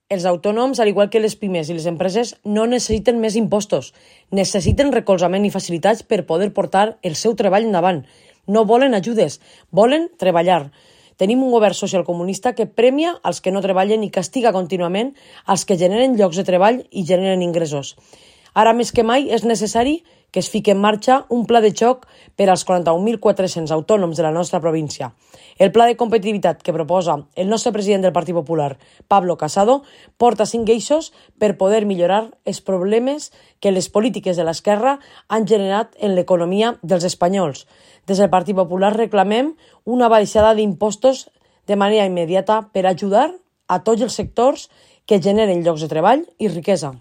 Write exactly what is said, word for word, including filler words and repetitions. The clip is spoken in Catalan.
Els autònoms, al igual que les pimes i les empreses, no necessiten més impostos. Necessiten recolzament i facilitats per poder portar el seu treball endavant. No volen ajudes, volen treballar. Tenim un govern socialcomunista que premia els que no treballen i castiga contínuament els que generen llocs de treball i generen ingressos. Ara més que mai és necessari que es fiqui en marxa un pla de xoc per als quaranta-un mil quatre-cents autònoms de la nostra província. El pla de competitivitat que proposa el nostre president del Partit Popular, Pablo Casado, porta cinc eixos per poder millorar els problemes que les polítiques de l'esquerra han generat en l'economia dels espanyols. Des del Partit Popular reclamem una baixada d'impostos de manera immediata per ajudar a tots els sectors que generen llocs de treball i riquesa.